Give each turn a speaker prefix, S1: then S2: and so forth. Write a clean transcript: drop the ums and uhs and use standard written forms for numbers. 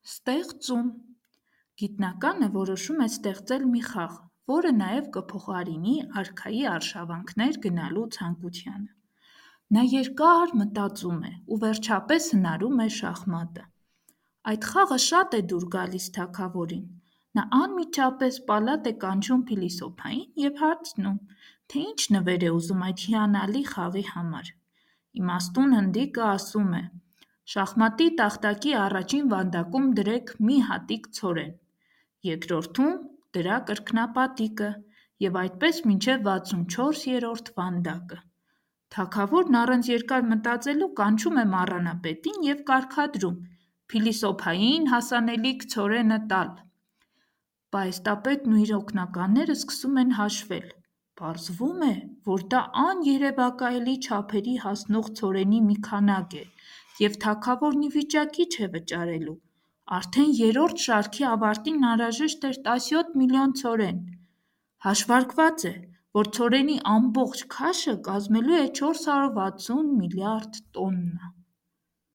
S1: Ստեղծում գիտնականը որոշում է ստեղծել մի խաղ, որը նաև կփոխարինի արքայի արշավանքներ գնալու ցանկությանը։ Նա երկար մտածում է ու վերջապես հնարում է շախմատը։ Այդ խաղը շատ է դուր գալիս թագավորին։ Նա անմիջապես պալատ է կանչում փիլիսոփային և հարցնում, թե ինչ նվեր է ուզում այդ հիանալի խաղի համար։ Իմաստուն հնդիկը ասում է. «Շախմատի տախտակի առաջին վանդակում դրեք մի հատիկ ցորեն, երկրորդում դրա կրկնապատիկը և այդպես մինչև 64-րդ վանդակը»։ Թագավորն առանց երկար մտածելու կանչում է մառանապետին և կարգադրում. «Փիլիսոփային հասանելիք ցորենը տալ»։ Պահեստապետն ու իր օգնականները սկսում են հաշվել։ Պարզվում է, որ դա աներևակայելի չափերի հասնող ցորենի մի քանակ է, և թագավորն ի վիճակի չէ վճարելու։ Արդեն երրորդ շարքի ավարտին անհրաժեշտ էր 17 միլիոն ցորեն։ Հաշվարկված է, որ ցորենի ամբողջ քաշը կազմելու է 460 միլիարդ տոննա։